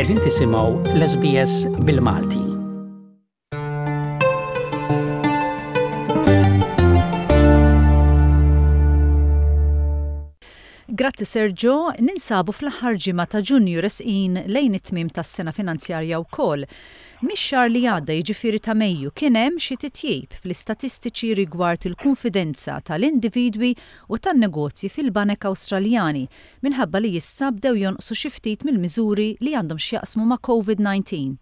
Qegħdin tisimgħu l-SBS bil-Malti. Grazzi Sergio, ninsabu fl-aħħar ġimgħa ta' Ġunju resqin lejn it-tmiem tas-sena finanzjarja wkoll. Mix-xahar li għadda jiġifieri ta' Mejju kien hemm xi titjib fl-istatistiċi rigward il-kunfidenza tal-individwi u tan-negozji fil-banek Awstraljani minħabba li issa bdew jonqsu xi ftit mill-miżuri li għandhom x'jaqsmu ma' Covid-19.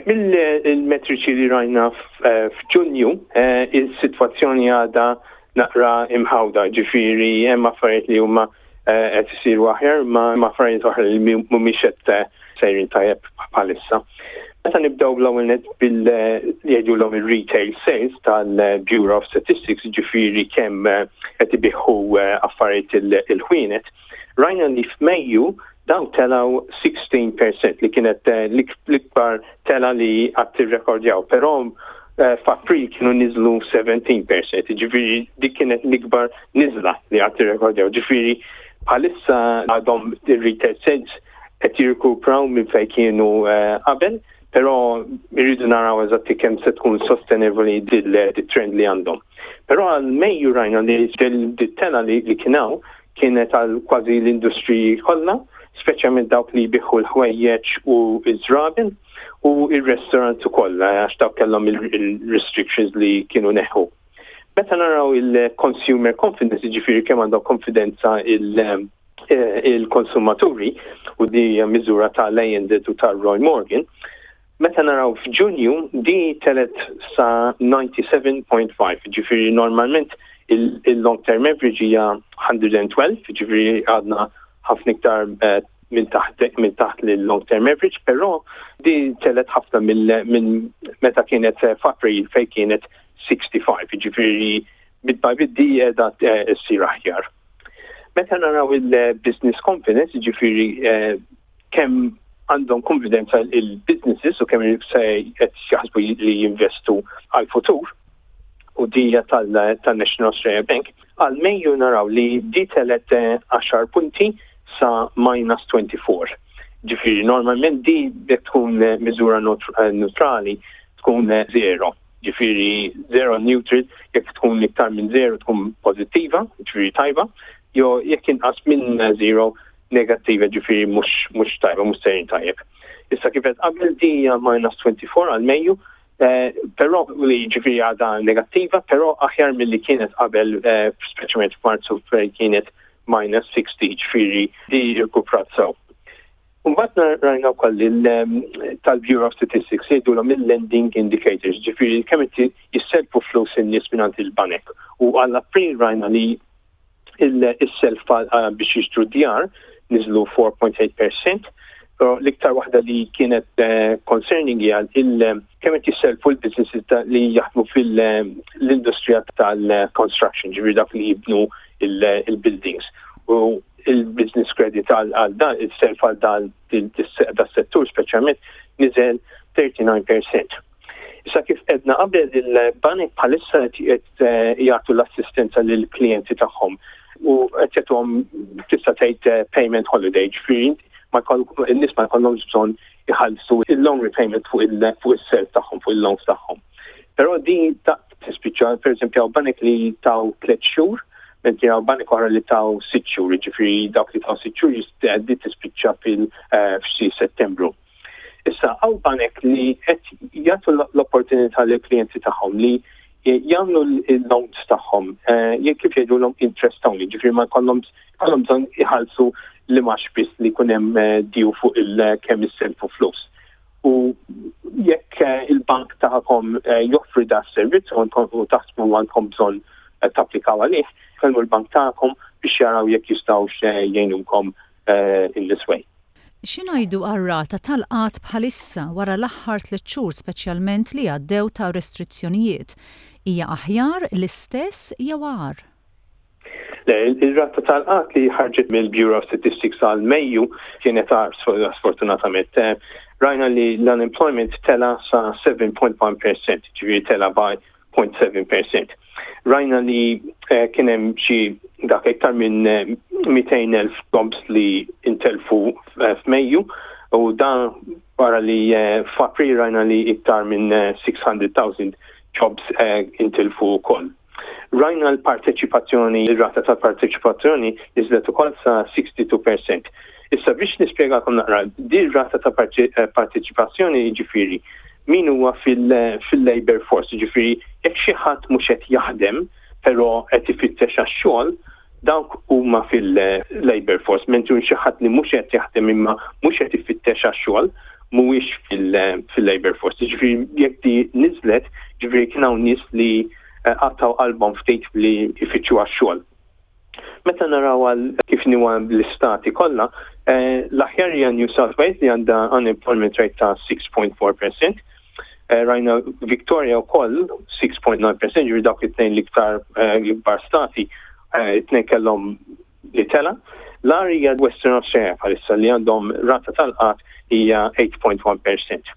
Mill-metriċi li rajna f'Ġunju, is-sitwazzjoni għadha naqra imħawda, ġifieri hemm affarijiet li huma qed isiru aħjar, imma hemm affarijiet oħra li mhumiex qed sejrin tajjeb bħalissa. Meta nibdew l-ewwel nett bil li jgħidulhom ir-retail sales tal-Bureau of Statistics, ġifieri kemm qed ibigħu affarijiet il-ħwienet, rajna li f'Mejju dawn telgħu 16% li kienet l-ikbar tela li qatt irrekordjaw, però f'April kienu niżlu 17%, ġifieri dik kienet l-ikbar niżla li qatt irrekordjaw. Ġifieri bħalissa għadhom ir-retail sales qed jirkupraw minn fejn kienu qabel, però irridu naraw eżatti kemm se tkun sostenevoli dil-trend li għandhom. Però għal Mejju rajna li dit-tela li kien hawn kienet għal kważi l-industriji kollha, speċjalment dawk li jbigħu l-ħwejjeġ u ż-żraben u r-restaurants ukoll għax dawk kellhom il-restrictions li kienu neħħu. Meta naraw il-consumer confidence, jiġifieri kemm għandhom konfidenza il-konsumaturi, u di hija miżura tal-ANZ u tal-Roy Morgan, meta naraw f'Ġunju di telet sa 97.5, ġifieri normalment il-long term average hija 112, ġifieri għadna ħafna iktar minn taħt minn taħt l-long term average, però di telet ħafna minn meta kienet f'April fejn kienet 65, ġifieri bit by bit di qiegħda ssir aħjar. Meta naraw il-business confidence, ġifieri kemm għandhom konfidenza il-businesses u kemm se qed jaħsbu li jinvestu għal-futur, u dija tal-National Australia Bank, għal Mejju naraw li di telet 10 punti sa minus 24. Ġifieri normalment di jekk tkun miżura neutrali tkun zero. Ġifieri zero neutral, jekk tkun iktar minn zero tkun pożittiva, ġifieri tajba, jew jekk inqas minn zero negattiva, ġifieri mhux tajba, mhux sejrin tajjeb. Issa kif qed qabel di hija minus 24 għal Mejju, però li ġifieri għadha negattiva, però aħjar milli kienet qabel, speċjalment f'Marzu fejn kienet minus 60, ġifieri di rkuprat sew. Mbagħad rajna wkoll tal-Bureau of Statistics jgħidulhom il-lending indicators, ġifieri kemm qed jisselfu flus in-nies mingħand il-banek. U għal April rajna li is-self biex jixtru djar niżlu 4.8%, però l-iktar waħda li kienet concerning hija kemm qed jisselfu l-businesses li jaħdmu fil-industrija tal-construction, ġifieri dak li jibnu il-buildings. U il-business credit għal dan, il-self għal dan das-settur speċjalment niżel 39%. Issa kif edna qabel il-banek bħalissa qed jagħtu l-assistenza lill-klijenti tagħhom u qed jagħtuhom tista' tgħid payment holiday, ġifieri in-nies ma jkollhomx bżonn iħallsu il-loan repayment fuq is-self tagħhom, fuq il-loans tagħhom. Però din tispiċċa, pereżempju hawn banek li taw 3 xhur, mentri hawn banek oħra li taw 6 xhur, jiġifieri dawk li taw 6 xhur di tispiċċa fil f'xi Settembru. Issa hawn banek li qed jagħtu l-opportunità lill-klijenti tagħhom li jagħmlu l-loans tagħhom jekk kif jgħidulhom interest only, ġifieri ma jkollhom jkollhom bżonn iħallsu l-imgħax biss li jkun hemm due fuq il-kemm isselfu flus. U jekk il-bank tagħkom joffri da s-servizz u taħsbu għandkom bżonn tapplikaw għalih, kellmu l-bank tagħkom biex jaraw jekk jistgħux jgħinukom in this way. Xi ngħidu għar-rata tal-qgħad bħalissa wara l-aħħar tliet xhur speċjalment li għaddew ta' restrizzjonijiet? Hija aħjar, l-istess jew agħar? Le, ir-rata tal-qgħad li ħarġet mill-Bureau of Statistics għal Mejju kienet agħar sfortunatament. Rajna li l-unemployment tela sa 7.1%, ġifieri tela by 0.7%. Rajna li kien hemm xi dak iktar minn 200,000 jobs li intelfu f'Mejju. U dan wara li f'April rajna li iktar minn 600,000 jobs intilfu wkoll. Rajna l-parteċipazzjoni, ir-rata tal-parteċipazzjoni niżlet ukoll sa 62%. Issa biex nispjegakom naqra, din rata ta' parteċipazzjoni jiġifieri min huwa fil-labor force, jiġifieri jekk xi ħadd mhux qed jaħdem però qed ifittex għax-xogħol, dawk huma fil-labor force, mentri xi ħadd li mhux qed jaħdem imma mhux qed ifittex għax-xogħol mhuwiex fil-labor force. Jiġifieri jekk di niżlet, jiġifieri kien hawn nies li qatgħu qalbhom ftit li jfittxu għax-xogħol. Meta naraw għal kif inhuwa l-istati kollha, l-aħjar hija New South Wales li għandha unemployment rate ta' 6.4%. Rajna Victoria wkoll 6.9%, ġifieri dawk it-tnejn l-iktar l-ikbar stati, it-tnejn kellhom li tela. L-agħar hija Western Australia bħalissa li għandhom rata tal-qgħad hija 8.1%.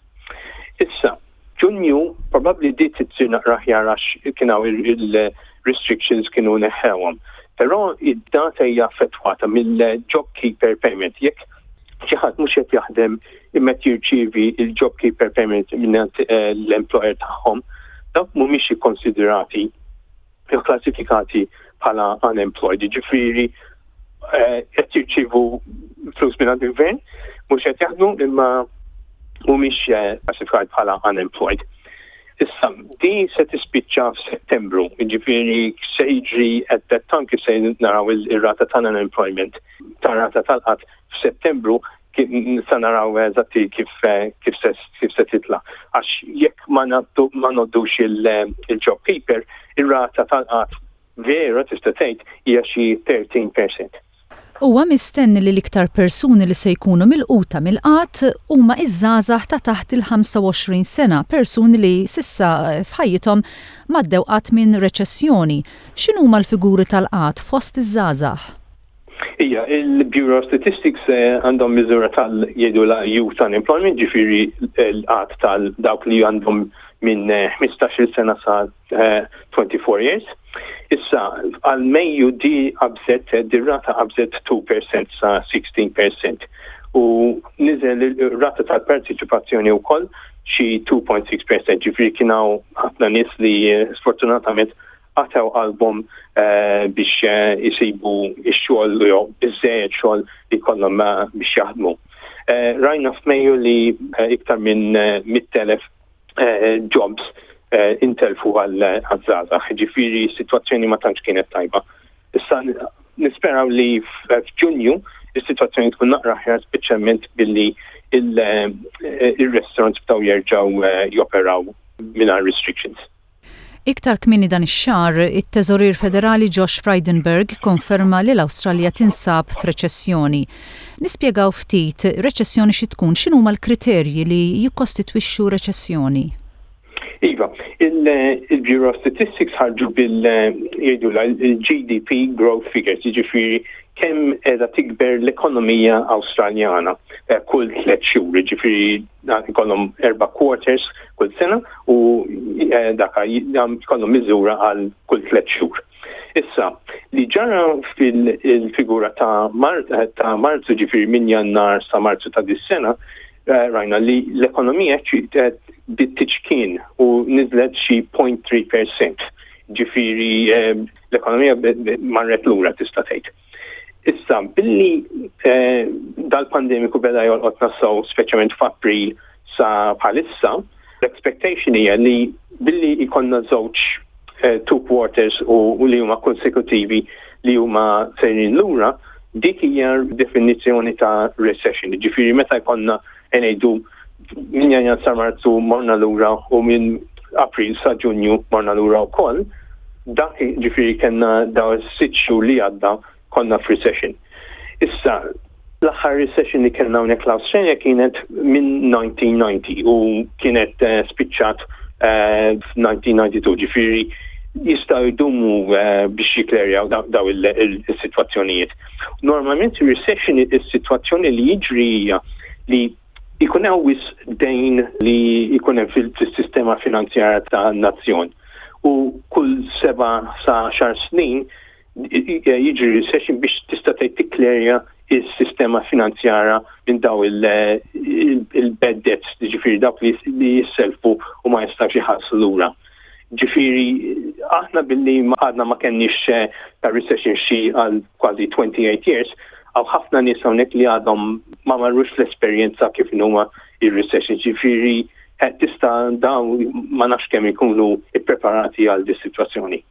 Issa, Ġunju probabbli bdiet issir naqra aħjar għax kien hawn il-restrictions kienu neħħewhom. Però id-data hija affettwata mill-JobKeeper payment. Jekk xi ħadd mhux qed jaħdem imma qed jirċievi l-JobKeeper payment minn l-employer tagħhom, dawk mhumiex ikkonsidrati jew klassifikati bħala unemployed, jiġifieri qed jirċievu flus minn il-gvern, mhux qed jaħdmu imma mhumiex klassifikati bħala unemployed. Issa, din se tispiċċa f'Settembru, jiġifieri se jiġri at that time kif se naraw ir-rata tal-unemployment, tar-rata tal-qgħad f'Settembru sa naraw eżatti kif kif se kif se titla'. Għax jekk ma ngħoddux il-JobKeeper, ir-rata tal-qgħad vera tista' tgħid hija xi 13%. Huwa mistenni li l-iktar persuni li se jkunu milquta mill-qgħad huma ż-żgħażagħ ta' taħt il-25 sena, persuni li s'issa f'ħajjithom m'għaddew qatt minn reċessjoni. X'inhuma l-figuri tal-qgħad fost iż-żgħażagħ? Ija, il-Bureau of Statistics għandhom miżura tal jgħidulha youth unemployment, ġifieri l-qgħad tal dawk li għandhom minn 15-il sena sa 24 years. Issa, għal Mejju di qabżet, di rata qabżet 2% sa 16% u niżel ir-rata tal-parteċipazzjoni wkoll xi 2.6%, ġifieri kien hawn ħafna nies li sfortunatament qatgħu qalbhom biex isibu x-xogħol jew biżżejjed xogħol li jkollhom biex jaħdmu. Rajna f'Mejju li iktar minn 100,000 jobs intelfu għaż-żgħażagħ, ġifieri s-sitwazzjoni ma tantx kienet tajba. Issa nisperaw li f'Ġunju is-sitwazzjoni tkun naqra aħjar speċjalment billi il-restaurants bdew jerġgħu joperaw mingħajr restrictions. Iktar kmieni dan ix-xahar, it-Teżorier Federali Josh Frydenberg ikkonferma li l-Awstralja tinsab f'reċessjoni. Nispjegaw ftit reċessjoni xi tkun, x'inhuma l-kriterji li jikkostitwixxu reċessjoni? Iva, il-Bureau of Statistics ħarġu bil jgħidulha il-GDP growth figures, jiġifieri kemm qiegħda tikber l-ekonomija Awstraljana kull tliet xhur, jiġifieri jkollhom erba' quarters kull sena u daka jkollhom miżura għal kull tliet xhur. Issa, li ġara fil-figura ta' ta' Marzu ġifieri minn Jannar sa Marzu ta' dis-sena, rajna li l-ekonomija bdiet tiċkien u niżlet xi 0.3%. Ġifieri l-ekonomija marret lura tista' tgħid. Issa, billi dal-pandemiku beda jolqotna sew speċjalment f'April sa bħalissa, l-expectation hija li billi jkollna żewġ two quarters u li huma konsekutivi li huma sejrin lura, dik hija definizzjoni ta' recession. Ġifieri meta jkollna ngħidu minn Jannar sa Marzu morna lura u minn April sa Ġunju morna lura wkoll, dak ġifieri kellna dawn is-sitt xhur li għadda konna f'recession. Issa, l-aħħar recession li kellna hawnhekk l-Awstralja kienet minn 1990 u kienet spiċċat f'1992, ġifieri jistgħu jdumu biex jikklerjaw daw is-sitwazzjonijiet. Normalment recession is-sitwazzjoni li jiġri hija li jkun hawn wisq dejn li jkun hemm fis-sistema finanzjarja tan-nazzjon u kull seba' sa għaxar snin jiġri recession biex tista' tgħid tikklerja is-sistema finanzjara minn daw il-bad debts, ġifieri dawk li jisselfu u ma jistgħux iħallsu lura. Ġifieri aħna billi għadna ma kenniex eh, ta' recession xi għal kważi 28 years, għaw ħafna nies hawnhekk li għadhom ma marrux fl-esperjenza kif huma ir-recession. Ġifieri eh, tista' dawn ma nafx kemm ikunu ippreparati għal dis sitwazzjoni.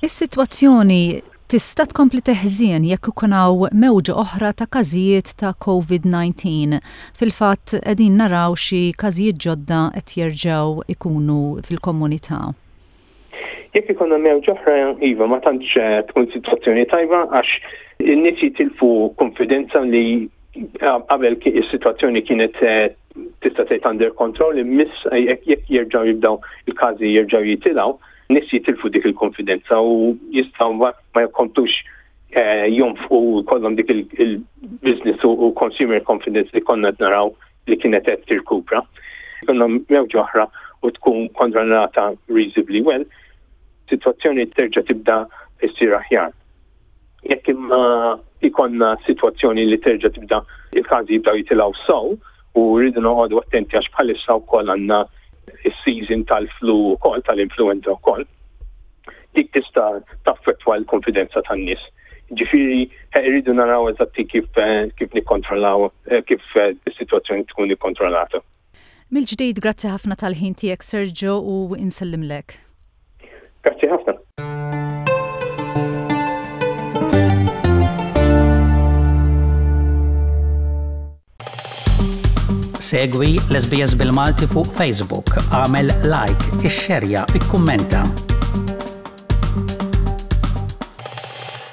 Is-sitwazzjoni tista' tkompli teħżien jekk ikun hawn mewġa oħra ta' każijiet ta' Covid-19. Fil-fatt qegħdin naraw xi każijiet ġodda qed jerġgħu jkunu fil-komunità. Jekk ikollna mewġa oħra, iva, ma tantx tkun sitwazzjoni tajba għax in-nies jitilfu konfidenza li qabel is-sitwazzjoni kienet tista' tgħid under control immiss jekk jerġgħu jibdew il-każi jerġgħu jitilgħu Nies jitilfu dik il-konfidenza u jistgħu ma jkomplux eh, jonfqu jkollhom dik il-business u consumer confidence li konna qed naraw li kienet qed tirkupra. Konna mewġa oħra u tkun kontrollata reasonably well, situazzjoni terġa' tibda issir aħjar. Jekk imma ikonna situazzjoni li terġa' tibda il-każi jibdew jitilgħu sew u rridu noqogħdu attenti għax bħalissa wkoll għandna is-season tal-flu wkoll tal-influenza wkoll. Dik tista' taffettwa l-konfidenza tan-nies. Ġifieri eh, rridu naraw eżatti kif eh, kif nikkontrollaw eh, kif is-sitwazzjoni tkun ikkontrollata. Mill-ġdid grazzi ħafna tal-ħin tiegħek Sergio u insellimlek. Grazzi ħafna. Segwi l-SBS bil-Malti fuq Facebook, għamel like, ixxerja, ikkummenta.